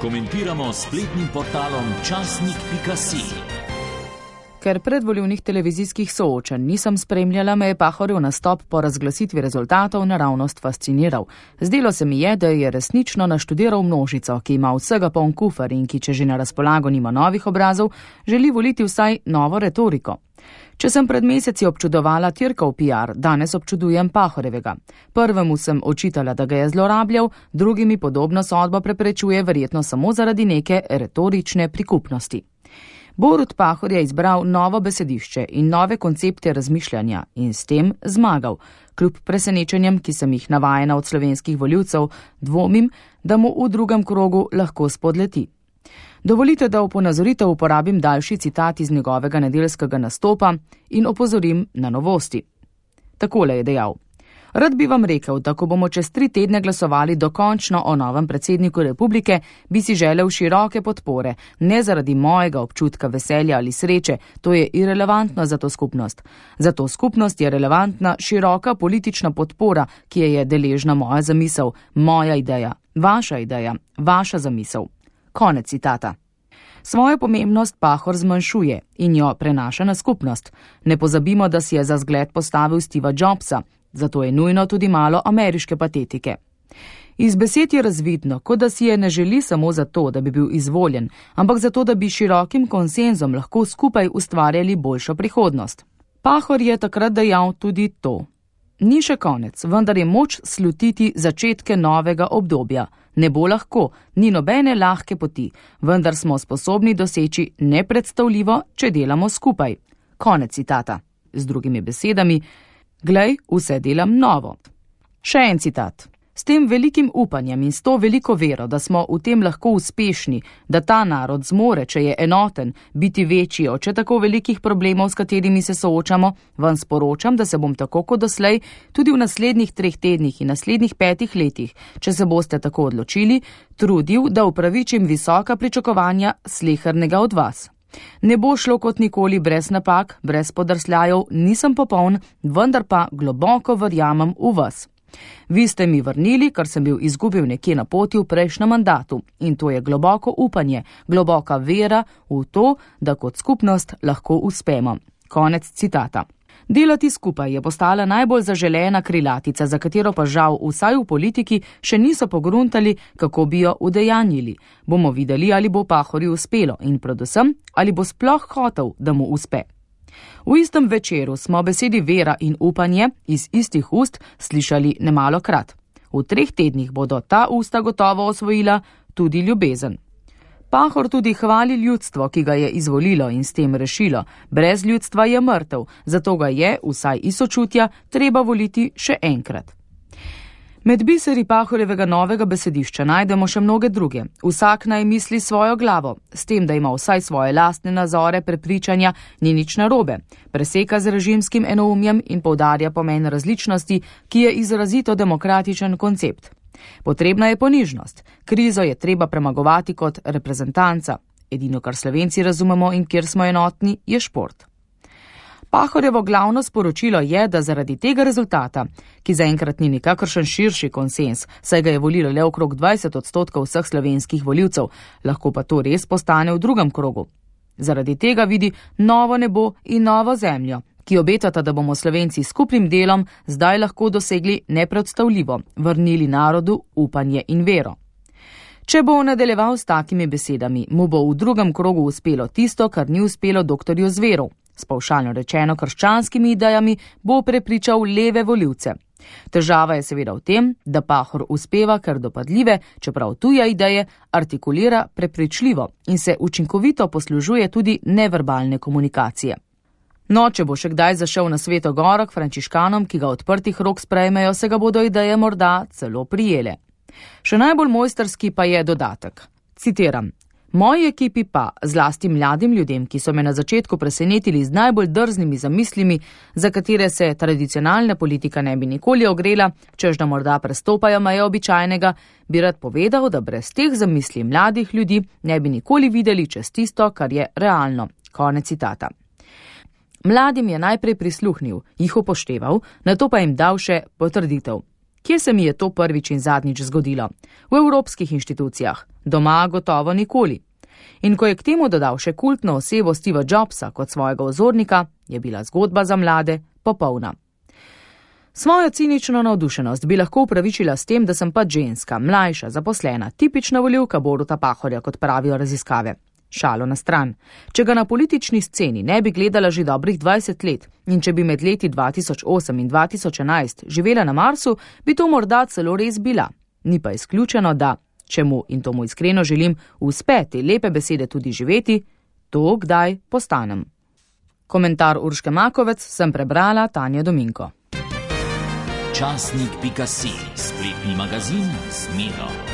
Komentiramo spletnim portalom časnik.si. Ker predvolilnih televizijskih soočenj nisem spremljala, me je Pahorjev nastop po razglasitvi rezultatov naravnost fasciniral. Zdelo se mi je, da je resnično naštudiral množico, ki ima vsega poln kufer in ki, če že na razpolago nima novih obrazov, želi voliti vsaj novo retoriko. Če sem pred meseci občudovala Tirkov PR, danes občudujem Pahorjevega. Prvemu sem očitala, da ga je zlorabljal, drugimi podobno sodbo preprečuje verjetno samo zaradi neke retorične prikupnosti. Borut Pahor je izbral novo besedišče in nove koncepte razmišljanja in s tem zmagal. Kljub presenečenjem, ki sem jih navajena od slovenskih volivcev, dvomim, da mu v drugem krogu lahko spodleti. Dovolite, da v ponazoritev uporabim daljši citat iz njegovega nedeljskega nastopa in opozorim na novosti. Takole je dejal: Rad bi vam rekel, da ko bomo čez 3 tedne glasovali dokončno o novem predsedniku republike, bi si želel široke podpore, ne zaradi mojega občutka veselja ali sreče, to je irelevantno za to skupnost. Za to skupnost je relevantna široka politična podpora, ki je deležna moja zamisel, moja ideja, vaša zamisel. Konec citata. Svojo pomembnost Pahor zmanjšuje in jo prenaša na skupnost. Ne pozabimo, da si je za zgled postavil Steva Jobsa, zato je nujno tudi malo ameriške patetike. Iz besed je razvidno, kot da si je ne želi samo zato, da bi bil izvoljen, ampak zato, da bi širokim konsenzom lahko skupaj ustvarjali boljšo prihodnost. Pahor je takrat dejal tudi to: Ni še konec, vendar je moč slutiti začetke novega obdobja. Ne bo lahko, ni nobene lahke poti, vendar smo sposobni doseči nepredstavljivo, če delamo skupaj. Konec citata. Z drugimi besedami: Glej, vse delam novo. Še en citat. S tem velikim upanjem in s to veliko vero, da smo v tem lahko uspešni, da ta narod zmore, če je enoten, biti večji od še tako velikih problemov, s katerimi se soočamo, vam sporočam, da se bom tako kot doslej tudi v naslednjih 3 tednih in naslednjih 5 letih, če se boste tako odločili, trudil, da upravičim visoka pričakovanja slehernega od vas. Ne bo šlo kot nikoli brez napak, brez podrsljajev, nisem popoln, vendar pa globoko verjamem v vas. Vi ste mi vrnili, kar sem bil izgubil nekje na poti v prejšnjem mandatu, in to je globoko upanje, globoka vera v to, da kot skupnost lahko uspemo. Konec citata. Delati skupaj je postala najbolj zaželena krilatica, za katero pa žal vsaj v politiki še niso pogruntali, kako bi jo udejanjili. Bomo videli, ali bo Pahorju uspelo in predvsem, ali bo sploh hotel, da mu uspe. V istem večeru smo besedi vera in upanje iz istih ust slišali nemalokrat. V 3 tednih bodo ta usta gotovo osvojila tudi ljubezen. Pahor tudi hvali ljudstvo, ki ga je izvolilo in s tem rešilo. Brez ljudstva je mrtev, zato ga je, vsaj iz sočutja, treba voliti še enkrat. Med biseri Pahorjevega novega besedišča najdemo še mnoge druge. Vsak naj misli svojo glavo, s tem, da ima vsaj svoje lastne nazore, prepričanja, ni nič narobe. Preseka z režimskim enoumjem in poudarja pomen različnosti, ki je izrazito demokratičen koncept. Potrebna je ponižnost. Krizo je treba premagovati kot reprezentanca. Edino, kar Slovenci razumemo in kjer smo enotni, je šport. Pahorjevo glavno sporočilo je, da zaradi tega rezultata, ki zaenkrat ni nikakršen širši konsens, saj ga je volilo le okrog 20% vseh slovenskih volivcev, lahko pa to res postane v drugem krogu. Zaradi tega vidi novo nebo in novo zemljo, ki obetata, da bomo Slovenci skupnim delom zdaj lahko dosegli nepredstavljivo, vrnili narodu upanje in vero. Če bo nadaljeval s takimi besedami, mu bo v drugem krogu uspelo tisto, kar ni uspelo doktorju Zveru. S pavšalno rečeno krščanskimi idejami bo prepričal leve volivce. Težava je seveda v tem, da Pahor uspeva kar dopadljive, čeprav tuje ideje, artikulira prepričljivo in se učinkovito poslužuje tudi neverbalne komunikacije. No, če bo še kdaj zašel na Sveto goro k frančiškanom, ki ga odprtih rok sprejmejo, se ga bodo ideje morda celo prijele. Še najbolj mojsterski pa je dodatek. Citiram: Moji ekipi pa, zlasti mladim ljudem, ki so me na začetku presenetili z najbolj drznimi zamislimi, za katere se tradicionalna politika ne bi nikoli ogrela, čež da morda prestopajo meje običajnega, bi rad povedal, da brez teh zamisli mladih ljudi ne bi nikoli videli čez tisto, kar je realno. Konec citata. Mladim je najprej prisluhnil, jih upošteval, nato pa jim dal še potrditev. Kje se mi je to prvič in zadnjič zgodilo? V evropskih inštitucijah. Doma gotovo nikoli. In ko je k temu dodal še kultno osebo Steva Jobsa kot svojega vzornika, je bila zgodba za mlade popolna. Svojo cinično navdušenost bi lahko upravičila s tem, da sem pač ženska, mlajša, zaposlena, tipična volivka Boruta Pahorja, kot pravijo raziskave. Šalo na stran. Če ga na politični sceni ne bi gledala že dobrih 20 let in če bi med leti 2008 in 2011 živela na Marsu, bi to morda celo res bila. Ni pa izključeno, da, če mu, in to mu iskreno želim, uspe te lepe besede tudi živeti, to kdaj postanem. Komentar Urške Makovec sem prebrala Tanja Dominko. Časnik.si, spletni magazin z Miro.